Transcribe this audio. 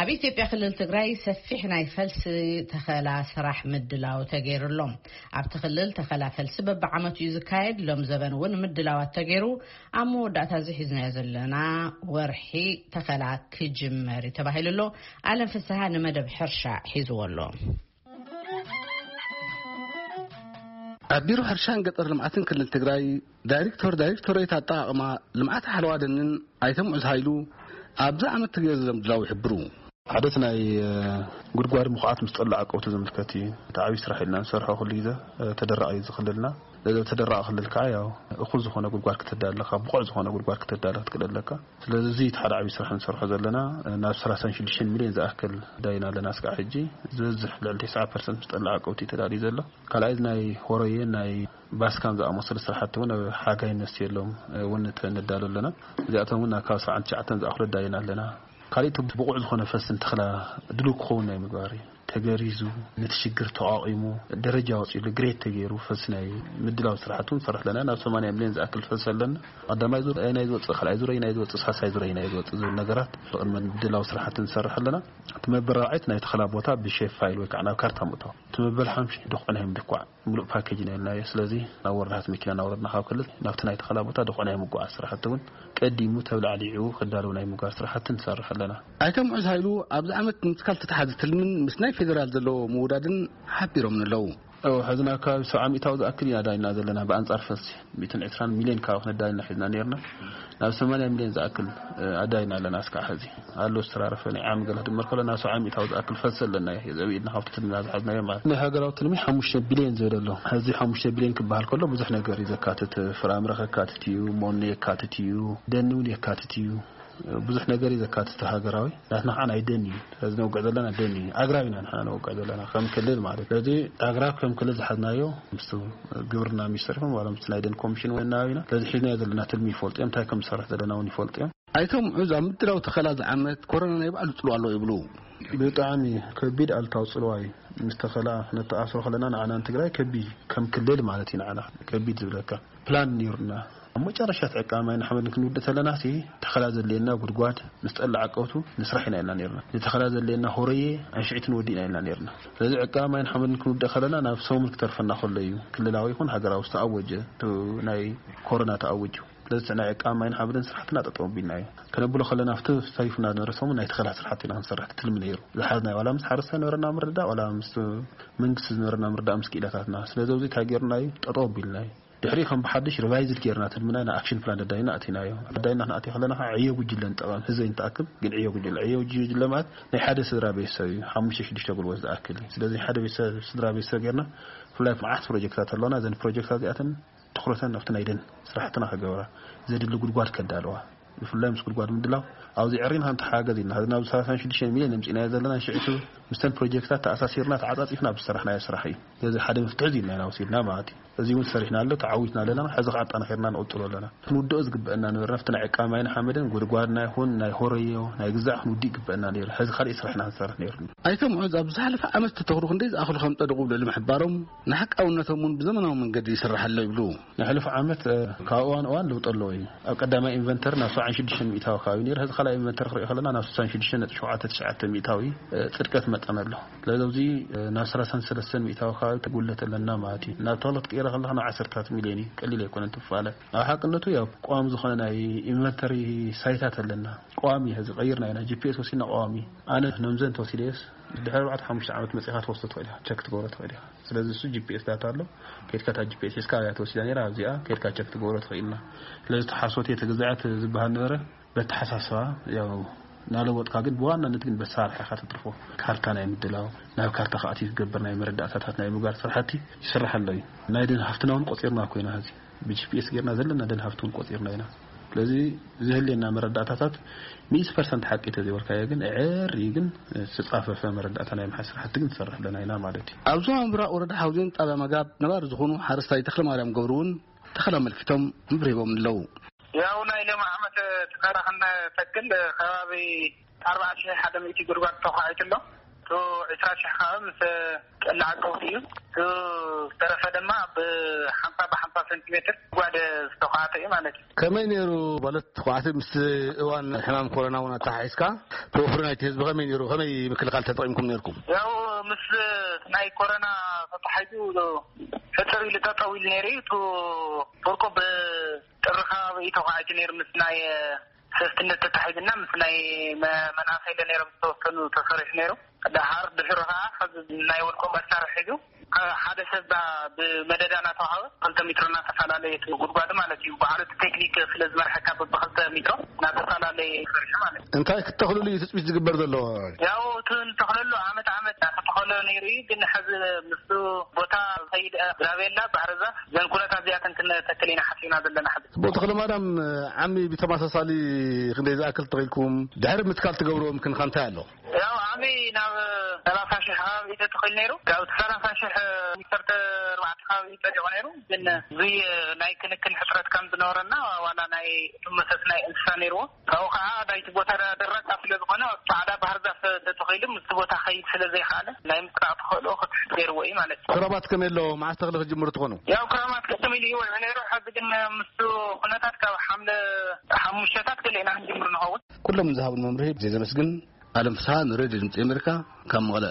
ኣብ ኢትዮጵያ ክልል ትግራይ ሰፊሕ ናይ ፈልሲ ተኸላ ስራሕ ምድላው ተገይሩሎም። ኣብቲ ክልል ተኸላ ፈልሲ በብዓመቱ እዩ ዝካየድ። ሎም ዘበን እውን ምድላዋት ተገይሩ ኣብ መወዳእታ እዚ ሒዝናዮ ዘለና ወርሒ ተኸላ ክጅመር እዩ ተባሂሉ ኣሎ። ኣለም ፍስሃ ንመደብ ሕርሻ ሒዝዎ ኣሎ። ኣብ ቢሮ ሕርሻን ገጠር ልምዓትን ክልል ትግራይ ዳይሬክተር ዳይሬክቶሬት ኣጠቓቕማ ልምዓት ሓለዋ ደንን ኣይተ ሙዑዝ ሃይሉ፣ ኣብዚ ዓመት ተገይሩ ዘሎ ምድላው ይሕብሩ። ሓደት ናይ ጉድጓድ ምኹዓት ምስ ጠላዕ ቀውቲ ዝምልከት እዩ። እቲ ዓብዪ ስራሕ ኢልና ንሰርሖ ኩሉ ግዜ ተደራቒ ዝኽልልና። ተደራቒ ክልል ከዓ ያው እኹል ዝኾነ ጉድጓድ ክትዳለካ፣ ብቑዕ ዝኾነ ጉድጓድ ክትዳለ ክትክእል ኣለካ። ስለዚ እዚ እቲ ሓደ ዓብዪ ስራሕ ንሰርሖ ዘለና። ናብ ሰላሳን ሽዱሽተን ሚልዮን ዝኣክል ዳይና ኣለና እስካዕ ሕጂ። ዝበዝሕ ልዕሊ ተስዓ ፐርሰንት ምስ ጠላዕ ቀውቲ ተዳልዩ ዘሎ። ካልኣይ ናይ ሆረየ ናይ ባስካን ዝኣመሰሉ ስራሕቲ እውን ኣብ ሓጋይ ነስየሎም እውን ነዳሉ ኣለና። እዚኣቶም እውን ካብ ሰብዓን ትሽዓተን ዝኣኽሉ ዳይና ኣለና። ካልእ እቲ ብቑዕ ዝኾነ ፈስን ተኽላ ድሉው ክኸውን ናይ ምግባር እዩ። ተገሪዙ ነቲ ሽግር ተቋቒሙ ደረጃ ወፂሉ ግሬት ተገይሩ ፈስ ናይ ምድላው ስራሕቲ እውን ንሰርሕ ኣለና። ናብ ሰማንያ ሚልዮን ዝኣክል ፈስ ኣለና። ቀዳማይ ዙር ናይ ዝወፅእ፣ ካልኣይ ዙር ናይ ዝወፅእ፣ ሳልሳይ ዙር ናይ ዝወፅእ ዝብል ነገራት ብቕድመ ምድላው ስራሕቲ ንሰርሕ ኣለና። እቲ መበራዕት ናይ ተኽላ ቦታ ብሼፍ ፋይል ወይ ከዓ ናብ ካርታ ምእታው። እቲ መበል ሓምሽ ድኹዕ ናይ ምድኳዕ ምሉእ ፓኬጅ ኢና ኢልናዮ። ስለዚ ናብ ወረዳት መኪና እናወረድና ካብ ክልል ናብቲ ናይ ተኸላ ቦታ ድኹዕ ናይ ምጉዓዝ ስራሕቲ እውን ቀዲሙ ተብላዕሊዑ ክዳለዉ ናይ ምጉዓዝ ስራሕቲ ንሰርሕ ኣለና። ኣይተ ሙዑዝ ሃይሉ ኣብዚ ዓመት ምትካል ተተሓዘ ትልምን ምስ ናይ ፌደራል ዘለዎ ምውዳድን ሓቢሮምን ኣለዉ። እው፣ ሕዚ ናብ ከባቢ ሰብዓ ሚእታዊ ዝኣክል ኢና ዳይና ዘለና ብኣንጻር ፈልሲ። ሚእትን ዕስራን ሚልዮን ካብ ክነዳይና ሒዝና ነርና። ናብ ሰማንያ ሚልዮን ዝኣክል፣ እ፣ ኣዳይና ኣለና እስካዕ ሕዚ። ኣሎ ዝተራረፈ ናይ ዓሚ ገለ ክድመር ከሎ ናብ ሰብዓ ሚእታዊ ዝኣክል ፈልሲ ኣለና እዩ። ዘብኢድና ካብቲ ትልምና ዝሓዝናዮ ማለት። ናይ ሃገራዊ ትልሚ ሓሙሽተ ቢልዮን ዝብል ኣሎ። ሕዚ ሓሙሽተ ቢልዮን ክበሃል ከሎ ብዙሕ ነገር እዩ ዘካትት። ፍራምረ ከካትት እዩ፣ ሞኖ የካትት እዩ፣ ደኒ እውን የካትት እዩ። ብዙሕ ነገር እዩ ዘካትት ሃገራዊ። ናትና ከዓ ናይ ደን እዩ። ስለዚ ነውግዕ ዘለና ደን እዩ። ኣግራብ ኢና ንሕና ነውግዕ ዘለና ከም ክልል ማለት። ስለዚ ኣግራብ ከም ክልል ዝሓዝናዮ ምስቲ ግብርና ሚኒስተር ይኹን ዋላ ምስቲ ናይ ደን ኮሚሽን እውን እናበይና። ስለዚ ሒዝናዮ ዘለና ትልሚ ይፈልጡ እዮም። እንታይ ከም ዝሰርሕ ዘለና እውን ይፈልጡ እዮም። ኣይተ ሙዑዝ ኣብ ምድላው ተኸላ ዝዓመት ኮሮና ናይ ባዕሉ ጽልዋ ኣለዎ ይብሉ። ብጣዕሚ ከቢድ ኣሉታዊ ጽልዋ እዩ። ምስ ተኸላ ነተኣስሮ ከለና ንዓና ንትግራይ ከቢድ እዩ። ከም ክልል ማለት እዩ ንዓና ከቢድ ዝብለካ። ፕላን ነይሩና። ኣብ መጨረሻ እቲ ዕቃ ማይን ሓመድን ክንውድእ ተለና ሲ ተኸላ ዘድልየና ጉድጓድ ምስ ጠላዕ ቀውቱ ንስራሕ ኢና ኢልና ነይርና። ንተኸላ ዘድልየና ሆረየ ኣንሽዒት ንወዲ ኢና ኢልና ነይርና። ስለዚ ዕቃ ማይን ሓመድን ክንውድእ ከለና ናብ ሰሙን ክተርፈና ከሎ እዩ ክልላዊ ይኹን ሃገራዊ ዝተኣወጀ፣ እቲ ናይ ኮሮና ተኣወጁ። ስለዚ ናይ ዕቃ ማይን ሓመድን ስራሕትና ጠጠው ኣቢልና እዩ። ከነብሎ ከለና ኣብቲ ተሪፉና ዝነበረ ሰሙን ናይ ተኸላ ስራሕቲ ኢና ክንሰርሕ ትልሚ ነይሩ። ዝሓዝናዮ ዋላ ምስ ሓረስታይ ዝነበረና ምርድዳእ ዋላ ምስ መንግስቲ ዝነበረና ምርዳእ ምስ ክኢላታትና። ስለዚ ኣብዚ እንታይ ጌርና እዩ? ጠጠው ኣቢልና እዩ። ድሕሪ ከም ብሓድሽ ሪቫይዝድ ጌርና ትልምና ኢና ኣክሽን ፕላን ደዳይና ኣቲናዮ። ደዳይና ክንኣትዮ ከለና ከዓ ዕዮ ጉጅለ ንጠቐም፣ ህዝቢ ንተኣክብ፣ ግን ዕዮ ጉጅለ፣ ዕዮ ጉጅለ ማለት ናይ ሓደ ስድራ ቤተሰብ እዩ፣ ሓሙሽተ ሽዱሽተ ጉልበት ዝኣክል እዩ። ስለዚ ሓደ ቤተሰብ፣ ስድራ ቤተሰብ ጌርና ብፍላይ መዓት ፕሮጀክታት ኣለውና። እዘን ፕሮጀክታት እዚኣተን ትኹረተን ኣብቲ ናይ ደን ስራሕትና ክገብራ፣ ዘድሊ ጉድጓድ ከዳለዋ፣ ብፍላይ ምስ ጉድጓድ ምድላው ኣብዚ ዕሪና ክንተሓጋገዝ ኢና። ሕዚ ናብ ሰላሳን ሽዱሽተ ሚልዮን ኣምፂእናዮ ዘለና ሽዕቱ ምስተን ፕሮጀክታት ተኣሳሲርና ተዓፃፂፍና ብዝሰራሕናዮ ስራሕ እዩ። ስለዚ ሓደ መፍትሒ እዚ ኢልና ኢና ወሲድና ማለት እዩ። እዚ እውን ሰሪሕና ኣሎ፣ ተዓዊትና ኣለና። ሕዚ ከዓ ኣጠናኺርና ንቕፅሎ ኣለና። ክንውድኦ ዝግበአና ነበርና ኣብቲ ናይ ዕቃ ማይን ሓመድን ጉድጓድና ይኹን ናይ ሆረዮ ናይ ግዛዕ ክንውድእ ይግበአና ነይሩ። ሕዚ ካልእ ስራሕና ክንሰርሕ ነይሩ። ኣይተ ሙዑዝ ኣብ ዝሓለፈ ዓመት ዝተተኽሉ ክንደይ ዝኣኽሉ ከም ጸደቑ ብልዕሊ ምሕባሮም፣ ንሓቃውነቶም እውን ብዘመናዊ መንገዲ ይስራሕ ኣሎ ይብሉ። ናይ ሕሉፍ ዓመት፣ እ፣ ካብ እዋን እዋን ለውጢ ኣለዎ እዩ። ኣብ ቀዳማይ ኢንቨንተሪ ናብ ሰብዓን ሽዱሽተን ሚእታዊ ከባቢ ነይሩ። ሕዚ ካልኣይ ኢንቨንተሪ ክሪኦ ከለና ናብ ስሳን ሽዱሽተን ነጥቢ ሸውዓተ ትሽዓተ ሚእታዊ፣ እ፣ ጽድቀት መጠን ኣሎ። ስለዚ ኣብዚ፣ እ፣ ናብ ሰላሳን ሰለስተን ሚእታዊ ከባቢ ተጉለት ኣለና ማለት እዩ። ናብ ተኽሊ ክትቅይሮ ከለኻ ናብ ዓሰርታት ሚልዮን እዩ። ቀሊል ኣይኮነን ትፋለ። ኣብ ሓቅነቱ ያው ቋሚ ዝኾነ ናይ ኢንቨንተሪ ሳይታት ኣለና። ቋሚ ሕዚ ቀይርና ኢና። ጂ ፒ ኤስ ወሲድና ቋሚ። ኣነ ነምዘን ተወሲደየስ ድሕሪ ኣርባዕተ ሓሙሽተ ዓመት መጺኻ ትወስዶ ትኽእል ኢኻ። ቸክ ትገብሮ ትኽእል ኢኻ። ስለዚ እሱ ጂ ፒ ኤስ ዳታ ኣሎ። ከድካ እታ ጂ ፒ ኤስ ሒዝካ ኣብያ ተወሲዳ ነይራ፣ ኣብዚኣ ከድካ ቸክ ትገብሮ ትኽእል ኢና። ስለዚ ተሓሶት እየ ተገዛዕት ዝበሃል ነበረ። በተሓሳስባ ያው ናለወጥካ ግን ብዋናነት ግን በሳርሕ ኢኻ ተትርፎ። ካርታ ናይ ምድላው፣ ናብ ካርታ ከኣትዩ ዝገብር ናይ መረዳእታታት ናይ ምግባር ስራሕቲ ይስራሕ ኣሎ እዩ። ናይ ደን ሃፍትና እውን ቆጺርና እኮ ኢና ሕዚ። ብ ጂ ፒ ኤስ ጌርና ዘለና ደን ሃፍቲ እውን ቆጺርና ኢና። ስለዚ ዝህልየና መረዳእታታት ሚእቲ ፐርሰንት ሓቂ ተዘይበልካዮ ግን፣ ዕር እዩ ግን፣ ዝተጻፈፈ መረዳእታ ናይ ምሓዝ ስራሕቲ ግን ንሰርሕ ኣለና ኢና ማለት እዩ። ኣብ ዞባ ምብራቕ ወረዳ ሓውዜን ጣብያ መጋብ ነባሪ ዝኾኑ ሓረስታይ ተኽለማርያም ገብሩ እውን ተኸላ ኣመልኪቶም መብርሂቦም ኣለዉ። ያው ናይ ሎሚ ዓመት ተኸላ ክንተክል ከባቢ ኣርባዓ ሽሕ ሓደ ሚእቲ ጉድጓድ ተዃዒቱ ኣሎ። እቱ ዕስራ ሽሕ ከዓ ምስ ቀላዕ ቀውጢ እዩ። እቱ ዝተረፈ ድማ ብሓምሳ ብሓምሳ ሰንቲሜትር ጓደ ዝተኳዕተ እዩ ማለት እዩ። ከመይ ነይሩ ማለት ተኳዕቲ ምስ እዋን ሕማም ኮሮና እውን ኣተሓሒዝካ ተወፍሪ ናይቲ ህዝቢ ከመይ ነይሩ? ከመይ ምክልኻል ተጠቂምኩም ነይርኩም? ያው ምስ ናይ ኮሮና ተተሓሒዙ ሕፅር ኢሉ ጠጠው ኢሉ ነይሩ እዩ። እቱ ፍርቁ ብጥሪ ከባቢ እዩ ተኳዒቱ ነይሩ ምስ ናይ ሰስትነት ተታሒዝና ምስ ናይ መ- መናእሰይ ለ ነይሮም ዝተወሰኑ ተሰሪሑ ነይሩ። ደሓር ድሕሪ ከዓ ሕዚ ናይ ወልቆ መሳርሒ ሒዙ ሓደ ሰብ ብመደዳ እናተዋሃበ ክልተ ሜትሮ እናተፈላለየ እቲ ጉድጓድ ማለት እዩ። በዓሉ እቲ ቴክኒክ ስለ ዝመርሐካ በብክልተ ሜትሮ እናተፈላለየ ይሰርሑ ማለት እዩ። እንታይ ክተኽልሉ እዩ ትፅቢት ዝግበር ዘሎ? ያው እቲ ንተኽለሉ ዓመት ዓመት እናተተኸሎ ነይሩ እዩ። ግን ሕዚ ምስ ቦታ ከይድ ግራቤላ፣ ባህርዛፍ ዘን ኩነታት እዚኣተን ክንተክል ኢና ሓሲብና ዘለና ሕዚ። ኣቦ ተኽለማርያም፣ ዓሚ ብተመሳሳሊ ክንደይ ዝኣክል ተኺልኩም? ድሕሪ ምትካል ትገብርዎ ምክንኻን እንታይ ኣሎ? ያው ዓሚ ናብ ሰላሳ ሽሕ ከባቢ እዩ ተተኺሉ ነይሩ። ካብ እቲ ሰላሳ ሽሕ ዓሰርተ ኣርባዕተ ከባቢ እዩ ጸዲቑ ነይሩ። ግን እዙይ ናይ ክንክን ሕፅረት ከም ዝነበረና ዋላ ናይ እቶም መሰስ ናይ እንስሳ ነይርዎ። ካብኡ ከዓ ናይቲ ቦታ ደረቅ ስለ ዝኾነ ጻዕዳ ባህር ዛፍ ተተኺሉ ምስቲ ቦታ ከይድ ስለ ዘይከኣለ ናይ ምጥቃቕ ተኽእሎ ክትሕት ገይርዎ እዩ ማለት እዩ። ክረማት ከመይ ኣሎ? መዓስ ተኽሊ ክትጅምሩ ትኾኑ? ያው ክረማት ቅድም ኢሉ ይውዕል ነይሩ። ሕዚ ግን ምስቲ ኩነታት ካብ ሓምለ ሓሙሽተታት ገለ ኢና ክንጅምር ንኸውን። ኩሎም ንዝሃቡን መምርሒ ብዘይ ዘመስግን ኣለም ፍስሃ ንሬድዮ ድምፂ ኣሜሪካ ካብ መቐለ።